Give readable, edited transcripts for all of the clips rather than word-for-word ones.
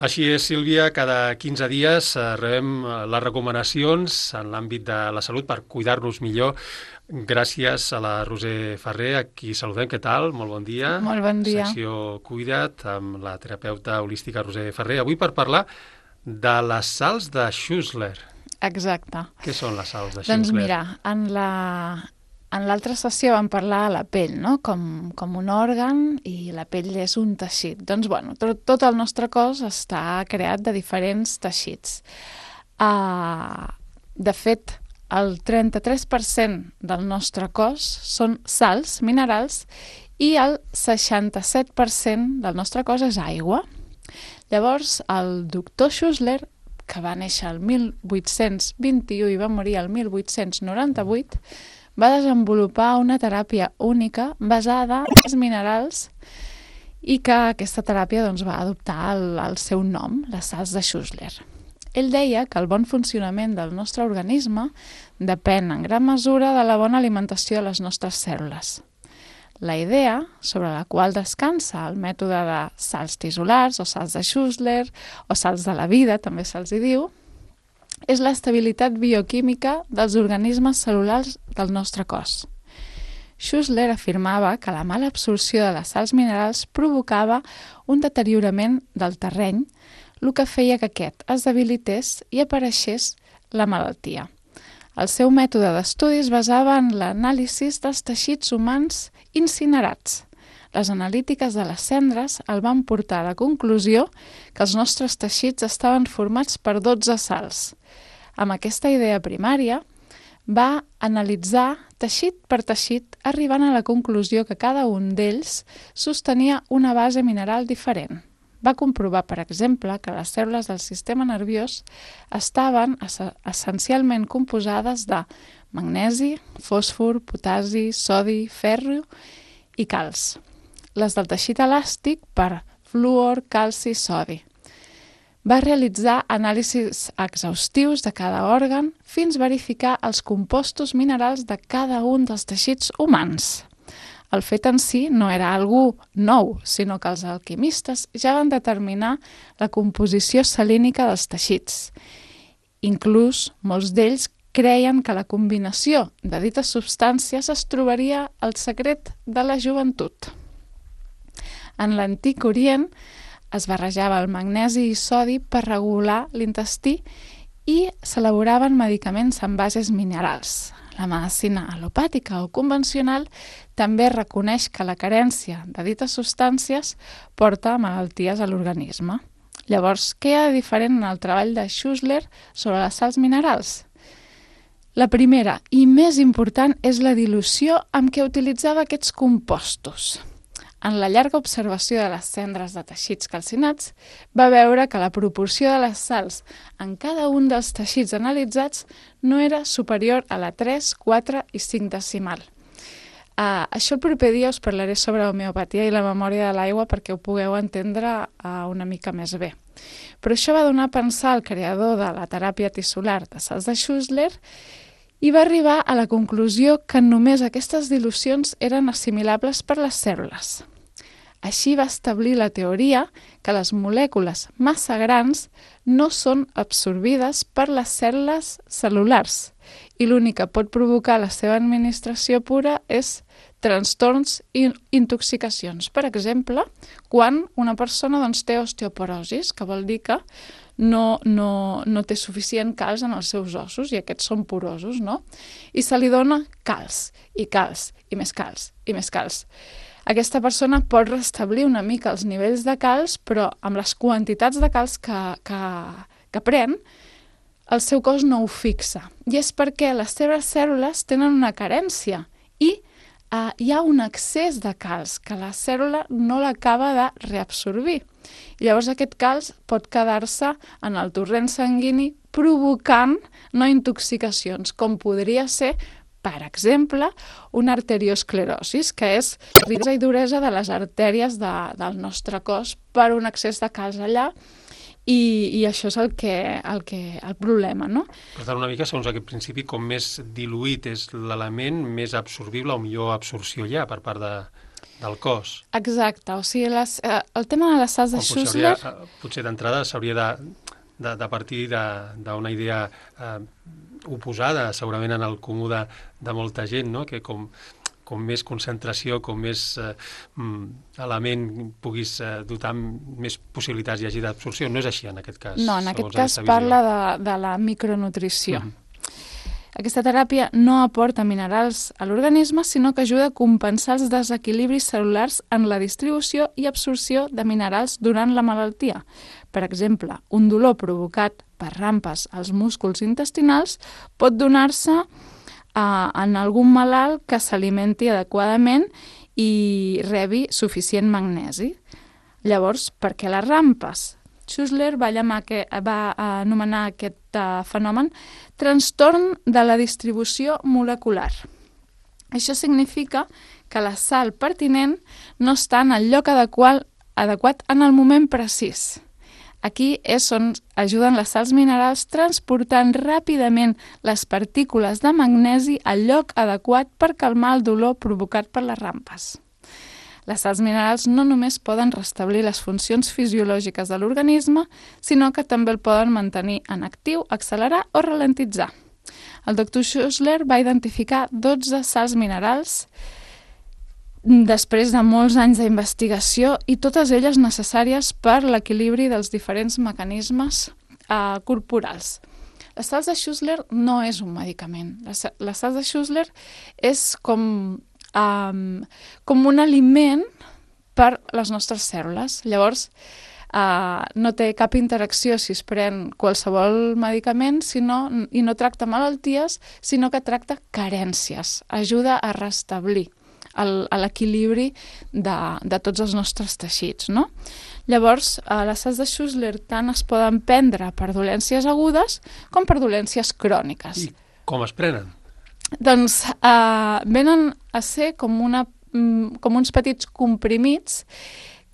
Així és, Sílvia, cada 15 dies rebem les recomanacions en l'àmbit de la salut per cuidar-nos millor. Gràcies a la Roser Ferrer, a qui saludem. Què tal? Molt bon dia. Molt bon dia. Secció Cuida't, amb la terapeuta holística Roser Ferrer. Avui per parlar de les sals de Schussler. Exacte. Què són les sals de Schussler? Doncs mira, en l'altra sessió vam parlar de la pell, no? Com un òrgan, i la pell és un teixit. Doncs bueno, tot el nostre cos està creat de diferents teixits. De fet, el 33% del nostre cos són sals minerals i el 67% del nostre cos és aigua. Llavors, el doctor Schussler, que va néixer el 1821 i va morir el 1898, va desenvolupar una teràpia única basada en els minerals i que aquesta teràpia va adoptar el seu nom, les sals de Schussler. Ell deia que el bon funcionament del nostre organisme depèn en gran mesura de la bona alimentació de les nostres cèl·lules. La idea sobre la qual descansa el mètode de sals tisolars o sals de Schussler o sals de la vida, també se'ls hi diu, és l'estabilitat bioquímica dels organismes cel·lulars del nostre cos. Schussler afirmava que la mala absorció de les sals minerals provocava un deteriorament del terreny, el que feia que aquest es debilités i apareixés la malaltia. El seu mètode d'estudi es basava en l'anàlisi dels teixits humans incinerats. Les analítiques de les cendres el van portar a la conclusió que els nostres teixits estaven formats per 12 sals. Amb aquesta idea primària, va analitzar teixit per teixit, arribant a la conclusió que cada un d'ells sostenia una base mineral diferent. Va comprovar, per exemple, que les cèl·lules del sistema nerviós estaven essencialment composades de magnesi, fòsfor, potasi, sodi, ferro i calç. Les del teixit elàstic per fluor, calci i sodi. Va realitzar anàlisis exhaustius de cada òrgan fins a verificar els compostos minerals de cada un dels teixits humans. El fet en si no era algú nou, sinó que els alquimistes ja van determinar la composició salínica dels teixits. Inclús molts d'ells creien que la combinació de dites substàncies es trobaria el secret de la joventut. En l'antic Orient es barrejava el magnesi i sodi per regular l'intestí i s'elaboraven medicaments amb bases minerals. La medicina alopàtica o convencional també reconeix que la carència de dites substàncies porta a malalties a l'organisme. Llavors, què hi ha de diferent en el treball de Schussler sobre les sals minerals? La primera i més important és la dilució amb què utilitzava aquests compostos. En la llarga observació de les cendres de teixits calcinats, va veure que la proporció de les sals en cada un dels teixits analitzats no era superior a la 3, 4 i 5 decimal. Això el proper dia us parlaré sobre l'homeopatia i la memòria de l'aigua perquè ho pugueu entendre una mica més bé. Però això va donar a pensar al creador de la teràpia tissular de sals de Schussler i va arribar a la conclusió que només aquestes dilucions eren assimilables per les cèl·lules. Així va establir la teoria que les molècules massa grans no són absorbides per les cèl·lules cel·lulars i l'únic que pot provocar la seva administració pura és trastorns i intoxicacions. Per exemple, quan una persona té osteoporosi, que vol dir que no té suficient calç en els seus ossos i aquests són porosos, no? I se li dona calç, i més calç, i més calç. Aquesta persona pot restablir una mica els nivells de calç, però amb les quantitats de calç que pren, el seu cos no ho fixa. I és perquè les seves cèl·lules tenen una carència i hi ha un excés de calç que la cèl·lula no l'acaba de reabsorbir. I llavors aquest calç pot quedar-se en el torrent sanguini provocant intoxicacions, com podria ser, per exemple, una arteriosclerosi, que és la riquesa i duresa de les artèries del nostre cos per un excés de calç allà, i això és el problema, no? Per tant, una mica, segons aquest principi, com més diluït és l'element, més absorbible o millor absorció hi ha per part del cos. Exacte, o sigui, el tema de les sals de Schussler... Potser d'entrada s'hauria de partir d'una idea oposada, segurament en el comú de molta gent, no? Que com més concentració, com més element puguis dotar més possibilitats hi hagi d'absorció. No és així en aquest cas. No, en aquest cas parla de la micronutrició. Aquesta teràpia no aporta minerals a l'organisme, sinó que ajuda a compensar els desequilibris cel·lulars en la distribució i absorció de minerals durant la malaltia. Per exemple, un dolor provocat per rampes als músculs intestinals pot donar-se en algun malalt que s'alimenti adequadament i rebi suficient magnesi. Llavors, per què les rampes? Schussler va anomenar aquest fenomen trastorn de la distribució molecular. Això significa que la sal pertinent no està en el lloc adequat en el moment precís. Aquí és on ajuden les sals minerals transportant ràpidament les partícules de magnesi al lloc adequat per calmar el dolor provocat per les rampes. Les sals minerals no només poden restablir les funcions fisiològiques de l'organisme, sinó que també el poden mantenir en actiu, accelerar o ralentitzar. El doctor Schussler va identificar 12 sals minerals després de molts anys d'investigació i totes elles necessàries per l'equilibri dels diferents mecanismes corporals. Les sals de Schussler no és un medicament. Les sals de Schussler és com un aliment per les nostres cèl·lules. Llavors, no té cap interacció si es pren qualsevol medicament i no tracta malalties, sinó que tracta carències. Ajuda a restablir l'equilibri de tots els nostres teixits, no? Llavors, les sals de Schussler tant es poden prendre per dolències agudes com per dolències cròniques. I com es prenen? Doncs venen a ser com uns petits comprimits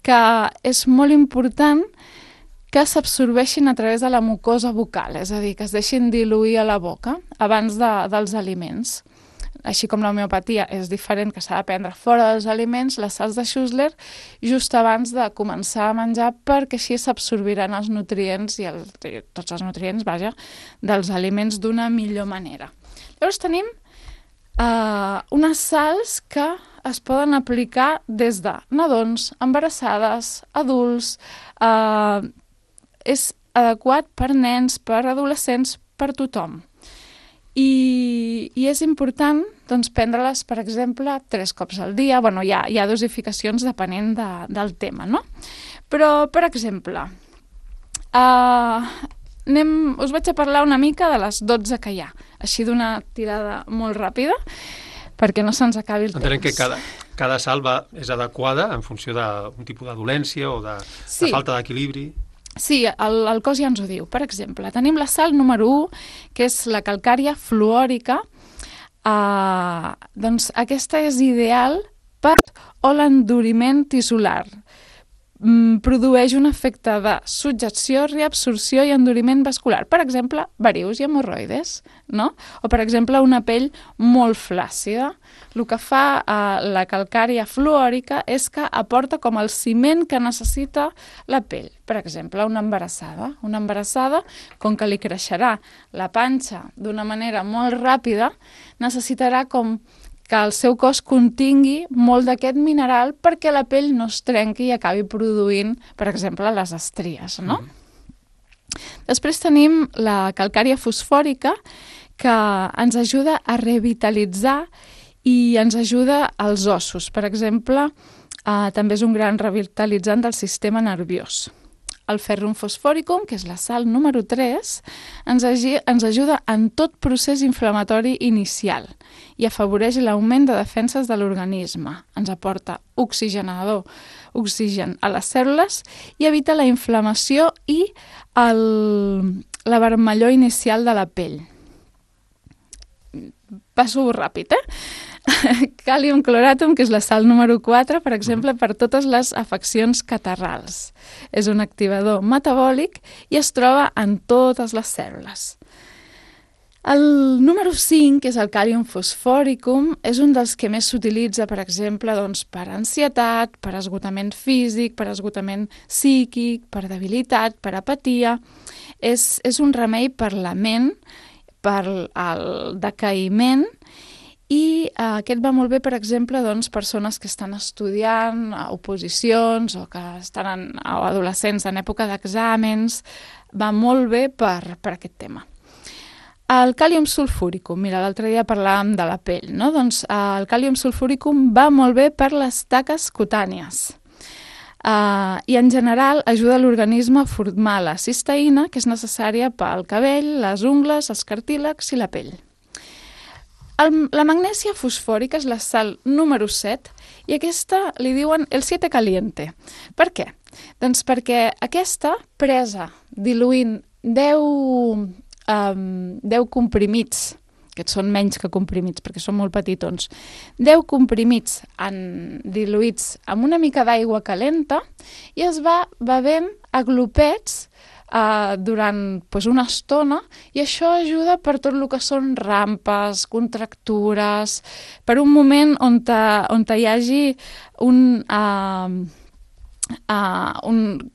que és molt important que s'absorbeixin a través de la mucosa bucal, és a dir, que es deixin diluir a la boca abans dels aliments. Així com l'homeopatia és diferent, que s'ha de prendre fora dels aliments, les sals de Schussler just abans de començar a menjar, perquè així s'absorbiran els nutrients i tots els nutrients, dels aliments d'una millor manera. Llavors tenim unes sals que es poden aplicar des de nadons, embarassades, adults, és adequat per nens, per adolescents, per tothom. I és important prendre-les, per exemple, 3 cops al dia. Bueno, hi ha dosificacions depenent del tema, no? Però, per exemple, us vaig a parlar una mica de les 12 que hi ha, així d'una tirada molt ràpida, perquè no se'ns acabi el temps. Entenem que cada sal és adequada en funció d'un tipus de dolència o de falta d'equilibri. Sí, el cos ja ens ho diu. Per exemple, tenim la sal número 1, que és la calcària fluòrica. Doncs aquesta és ideal per l'enduriment tissular. Produeix un efecte de subjecció, reabsorció i enduriment vascular. Per exemple, varius i hemorroides, no? O, per exemple, una pell molt flàcida. El que fa la calcària fluòrica és que aporta com el ciment que necessita la pell. Per exemple, una embarassada. Una embarassada, com que li creixerà la panxa d'una manera molt ràpida, necessitarà com que el seu cos contingui molt d'aquest mineral perquè la pell no es trenqui i acabi produint, per exemple, les estries, no? Després tenim la calcària fosfòrica, que ens ajuda a revitalitzar i ens ajuda als ossos. Per exemple, també és un gran revitalitzant del sistema nerviós. El ferrum fosforicum, que és la sal número 3, ens ajuda en tot procés inflamatori inicial i afavoreix l'augment de defenses de l'organisme. Ens aporta oxigen a les cèl·lules i evita la inflamació i la vermellor inicial de la pell. Passo ràpid, Càlium cloratum, que és la sal número 4, per exemple, per totes les afeccions catarrals. És un activador metabòlic i es troba en totes les cèl·lules. El número 5, que és el càlium fosfòricum, és un dels que més s'utilitza, per exemple, doncs, per ansietat, per esgotament físic, per esgotament psíquic, per debilitat, per apatia. És un remei per la ment, per el decaïment, i aquest va molt bé, per exemple, doncs, persones que estan estudiant oposicions o que estan adolescents en època d'exàmens. Va molt bé per aquest tema. El càlium sulfúricum, mira, l'altre dia parlàvem de la pell, no? Doncs el càlium sulfúricum va molt bé per les taques cutànies i en general ajuda l'organisme a formar la cisteïna, que és necessària pel cabell, les ungles, els cartílags i la pell. La magnèsia fosfòrica és la sal número 7 i aquesta li diuen el 7 caliente. Per què? Doncs perquè aquesta, presa diluint 10 comprimits, que són menys que comprimits perquè són molt petitons, 10 comprimits diluïts amb una mica d'aigua calenta i es va bevent a glopets durant una estona, i això ajuda per tot el que són rampes, contractures, per un moment on hi hagi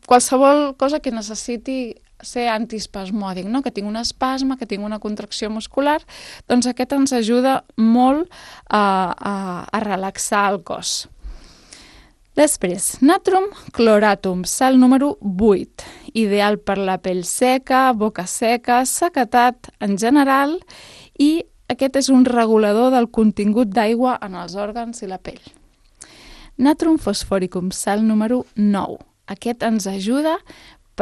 qualsevol cosa que necessiti ser antiespasmòdic, no? Que tinc un espasme, que tinc una contracció muscular, doncs aquest ens ajuda molt a relaxar el cos. Després, natrum chloratum, sal número 8, ideal per la pell seca, boca seca, sequedat en general, i aquest és un regulador del contingut d'aigua en els òrgans i la pell. Natrum fosforicum, sal número 9, aquest ens ajuda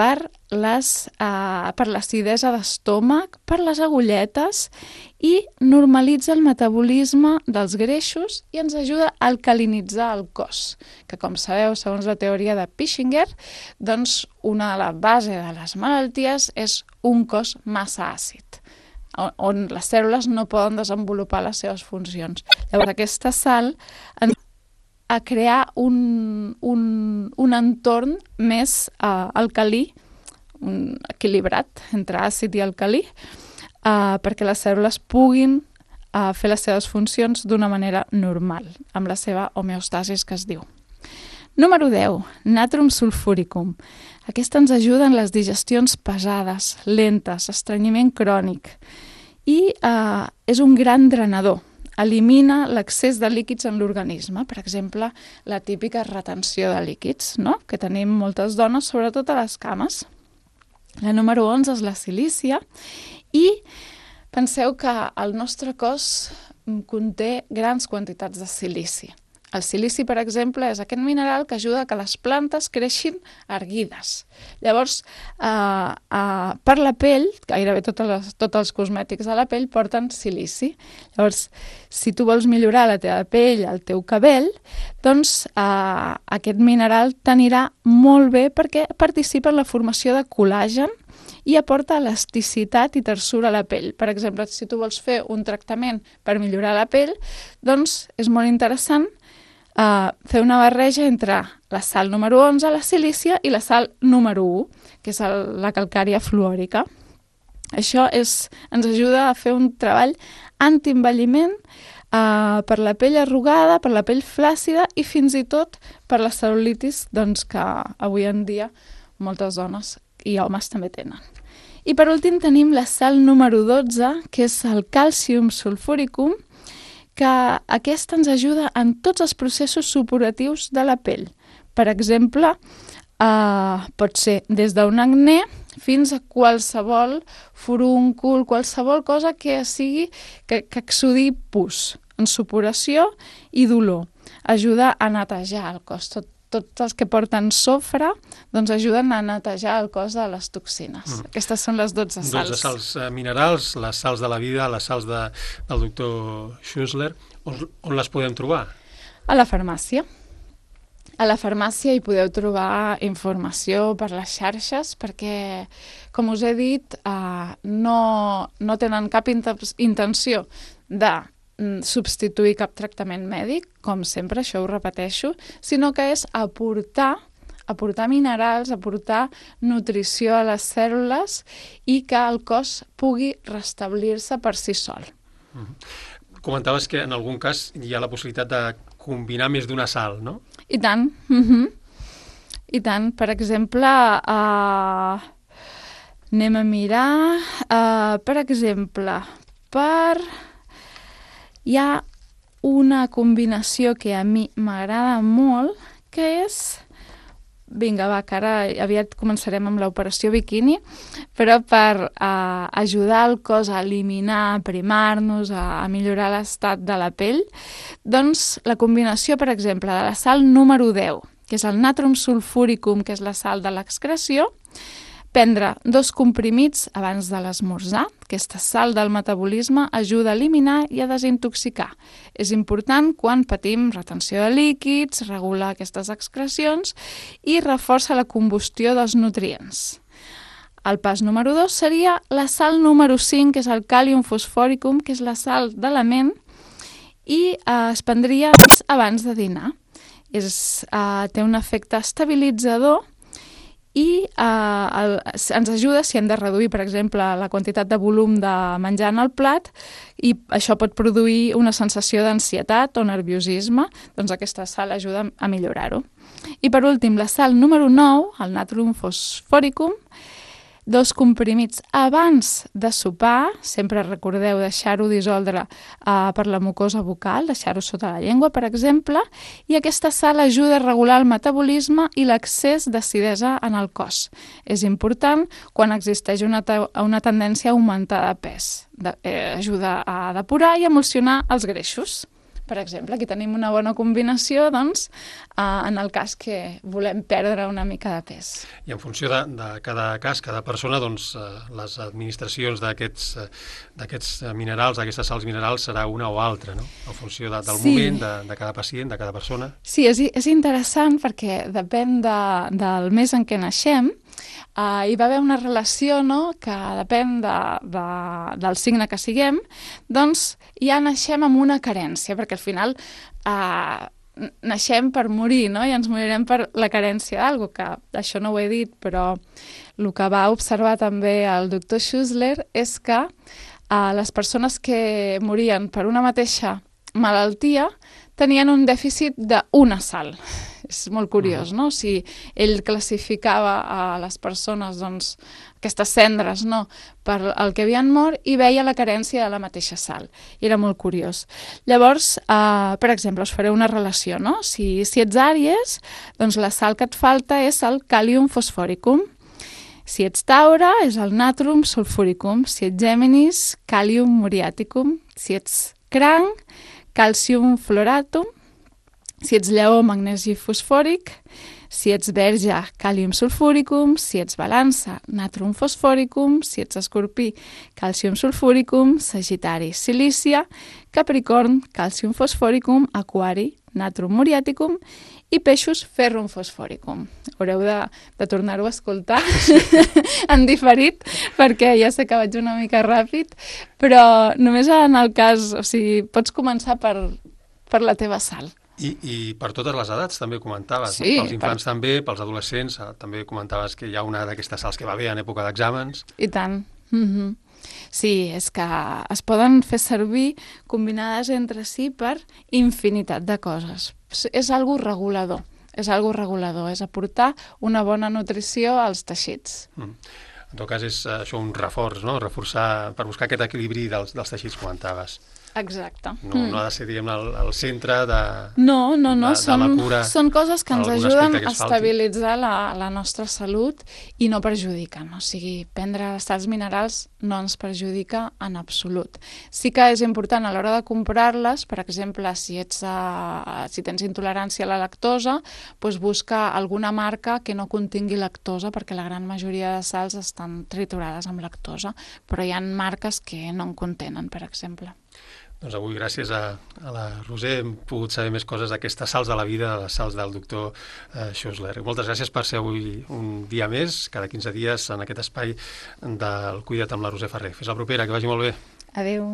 per l'acidesa d'estómac, per les agulletes, i normalitza el metabolisme dels greixos i ens ajuda a alcalinitzar el cos, que com sabeu, segons la teoria de Pischinger, doncs una de les bases de les malalties és un cos massa àcid, on les cèl·lules no poden desenvolupar les seves funcions. Llavors aquesta sal a crear un entorn més alcalí, equilibrat entre àcid i alcalí, perquè les cèl·lules puguin fer les seves funcions d'una manera normal, amb la seva homeostasis, que es diu. Número 10, natrum sulfúricum. Aquesta ens ajuda en les digestions pesades, lentes, estrenyiment crònic, i és un gran drenador. Elimina l'excés de líquids en l'organisme, per exemple, la típica retenció de líquids, no? Que tenim moltes dones, sobretot a les cames. La número 11 és la silícia, i penseu que el nostre cos conté grans quantitats de silici. El silici, per exemple, és aquest mineral que ajuda a que les plantes creixin erguides. Llavors, per la pell, gairebé tots els cosmètics de la pell porten silici. Llavors, si tu vols millorar la teva pell, el teu cabell, doncs aquest mineral t'anirà molt bé perquè participa en la formació de col·làgen i aporta elasticitat i tersura a la pell. Per exemple, si tu vols fer un tractament per millorar la pell, doncs és molt interessant fer una barreja entre la sal número 11, la silícia, i la sal número 1, que és la calcària fluòrica. Això ens ajuda a fer un treball antienvelliment per la pell arrugada, per la pell flàcida i fins i tot per la cel·lulitis, doncs, que avui en dia moltes dones i homes també tenen. I per últim tenim la sal número 12, que és el càlcium sulfúricum, que aquesta ens ajuda en tots els processos supuratius de la pell. Per exemple, pot ser des d'un acné fins a qualsevol furúncul, qualsevol cosa que exsudi pus, en supuració i dolor. Ajuda a netejar el cos. Tots els que porten sofre doncs ajuden a netejar el cos de les toxines. Aquestes són les 12 sals. 12 sals minerals, les sals de la vida, les sals del doctor Schussler. On les podem trobar? A la farmàcia. A la farmàcia hi podeu trobar informació per les xarxes perquè, com us he dit, no tenen cap intenció de substituir cap tractament mèdic, com sempre, això ho repeteixo, sinó que és aportar aportar minerals, aportar nutrició a les cèl·lules i que el cos pugui restablir-se per si sol. Comentaves que en algun cas hi ha la possibilitat de combinar més d'una sal, no? I tant. I tant. Per exemple, anem a mirar, per exemple, hi ha una combinació que a mi m'agrada molt, que és... Vinga, va, que ara aviat començarem amb l'operació biquini, però per ajudar el cos a eliminar, a primar-nos, a millorar l'estat de la pell, doncs la combinació, per exemple, de la sal número 10, que és el natrum sulfuricum, que és la sal de l'excreció, prendre 2 comprimits abans de l'esmorzar. Aquesta sal del metabolisme ajuda a eliminar i a desintoxicar. És important quan patim retenció de líquids, regula aquestes excrecions i reforça la combustió dels nutrients. El pas número 2 seria la sal número 5, que és el càlium fosforicum, que és la sal d'element, i es prendria abans de dinar. Té un efecte estabilitzador i ens ajuda si hem de reduir, per exemple, la quantitat de volum de menjar en el plat, i això pot produir una sensació d'ansietat o nerviosisme, doncs aquesta sal ajuda a millorar-ho. I per últim, la sal número 9, el natrum fosforicum, 2 comprimits abans de sopar, sempre recordeu deixar-ho dissoldre per la mucosa bucal, deixar-ho sota la llengua, per exemple, i aquesta sal ajuda a regular el metabolisme i l'excés d'acidesa en el cos. És important quan existeix una tendència a augmentar de pes. Ajuda a depurar i emulsionar els greixos. Per exemple, aquí tenim una bona combinació, doncs, en el cas que volem perdre una mica de pes. I en funció de cada cas, cada persona, doncs, les administracions d'aquests minerals, d'aquestes sals minerals, serà una o altra, no? En funció del moment, de cada pacient, de cada persona. Sí, és interessant perquè depèn del mes en què naixem. Hi va haver una relació, no?, que depèn del signe que siguem, doncs ja naixem amb una carència, perquè al final naixem per morir, no?, i ens morirem per la carència d'algú, que això no ho he dit, però el que va observar també el doctor Schussler és que les persones que morien per una mateixa malaltia tenien un dèficit d'una sal. És molt curiós, no? Si ell classificava a les persones, doncs, aquestes cendres, no?, per el que havien mort, i veia la carència de la mateixa sal. I era molt curiós. Llavors, per exemple, us faré una relació, no? Si ets Àries, doncs la sal que et falta és el càlium fosforicum. Si ets Taure, és el natrum sulfuricum. Si ets Géminis, càlium muriaticum. Si ets Cranc, calcium fluoratum. Si ets Lleó, magnesi fosfòric. Si ets Verge, càlium sulfúricum. Si ets Balança, natrum fosforicum. Si ets Escorpí, calcium sulfúricum. Sagitari, silícia. Capricorn, calcium fosforicum. Aquari, natrum muriaticum. I Peixos, ferrum fosforicum. Haureu de tornar-ho a escoltar en diferit, perquè ja sé que vaig una mica ràpid, però només en el cas, o sigui, pots començar per la teva sal. I per totes les edats també comentaves, sí, no? Pels infants també, pels adolescents, també comentaves que hi ha una d'aquestes sals que va bé en època d'exàmens. I tant. Sí, és que es poden fer servir combinades entre si per infinitat de coses. És algo regulador, és aportar una bona nutrició als teixits. En tot cas és això un reforç, no? Reforçar, per buscar aquest equilibri dels teixits que comentaves. Exacte. No ha de ser, diguem, el centre de la cura. Són coses que ens ajuden a falti. Estabilitzar la nostra salut i no perjudiquen. O sigui, prendre sals minerals no ens perjudica en absolut. Sí que és important a l'hora de comprar-les, per exemple, si tens intolerància a la lactosa, doncs busca alguna marca que no contingui lactosa, perquè la gran majoria de sals estan triturades amb lactosa, però hi ha marques que no en contenen, per exemple. Doncs avui, gràcies a la Roser, hem pogut saber més coses d'aquestes sals de la vida, les sals del doctor Schussler. Moltes gràcies per ser avui un dia més, cada 15 dies, en aquest espai del Cuida't amb la Roser Ferrer. Fins la propera, que vagi molt bé. Adéu.